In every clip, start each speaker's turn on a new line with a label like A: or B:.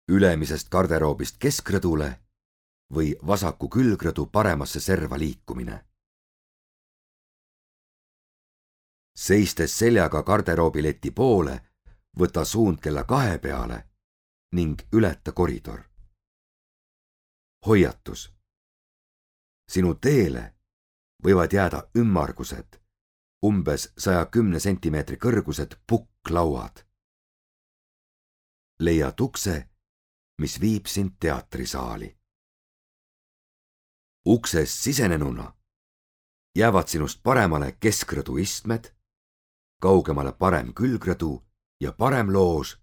A: ülemisest garderoobist keskrõdule või vasaku külgrõdu paremasse serva liikumine. Seistes seljaga garderoobileti poole, võta suund kella 2 peale ning ületa koridor. Hoiatus. Sinu teele võivad jääda ümmargused, umbes 110 sentimeetri kõrgused pukklauad. Leia ukse, mis viib sind teatrisaali. Uksest sisenenuna jäävad sinust paremale keskrõdu istmed, kaugemale parem külgrõdu ja parem loož,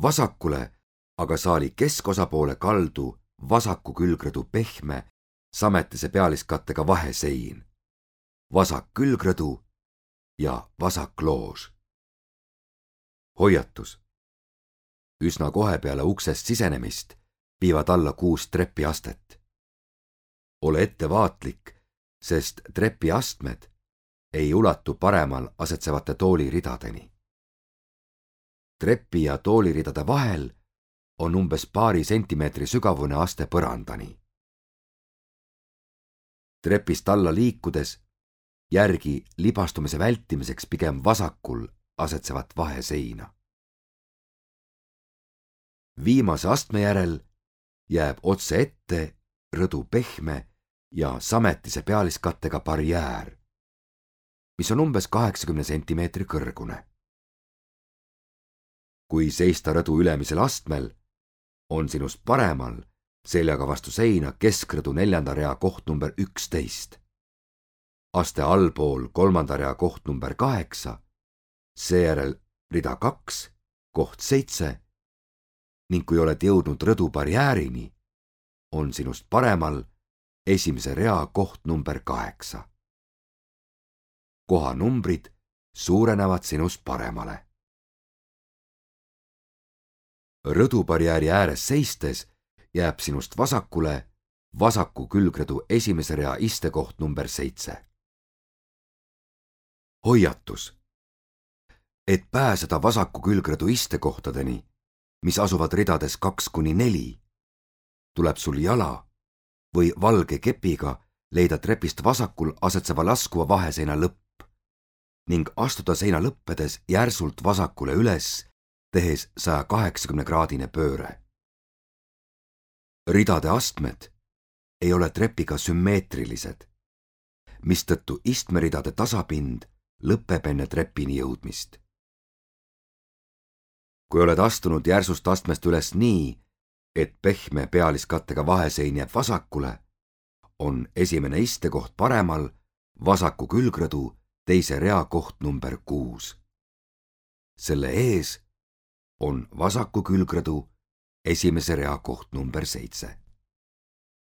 A: vasakule aga saali keskosa poole kaldu vasaku külgrõdu pehme sametise pealiskattega vahesein, vasak külgrõdu ja vasak loož. Hoiatus. Üsna kohe peale uksest sisenemist viivad alla 6 trepiastet. Ole ettevaatlik, sest trepiastmed ei ulatu paremal asetsevate tooliridadeni. Trepi ja tooliridade vahel on umbes paari sentimeetri sügavune aste põrandani. Trepist alla liikudes järgi libastumise vältimiseks pigem vasakul asetsevat vaheseina. Viimase astme järel jääb otse ette rõdu pehme ja sametise pealiskattega barjäär, mis on umbes 80 sentimeetri kõrgune. Kui seista rõdu ülemisel astmel, on sinust paremal seljaga vastu seina keskrõdu 4. rea koht number 11, aste allpool 3. rea koht number 8, seejärel rida 2, koht 7 ning kui oled jõudnud rõdu barjäärini, on sinust paremal 1. rea koht number 8. Kohanumbrid suurenevad sinust paremale. Rõdubarjääri ääres seistes jääb sinust vasakule vasaku külgrõdu 1. rea istekoht number 7. Hoiatus. Et pääseda vasaku külgrõdu istekohtadeni, mis asuvad ridades 2–4, tuleb sul jala või valge kepiga leida trepist vasakul asetseva laskuva vaheseina lõpp ning astuda seina lõppedes järsult vasakule üles, tehes 180-kraadine pööre. Ridade astmed ei ole trepiga sümmeetrilised, mistõttu istmeridade tasapind lõpeb enne trepini jõudmist. Kui oled astunud järsust astmest üles nii, et pehme pealiskattega vahesein jääb vasakule, on esimene istekoht paremal vasaku külgrõdu 2. rea koht number 6. Selle ees on vasaku külgrõdu 1. rea koht number 7.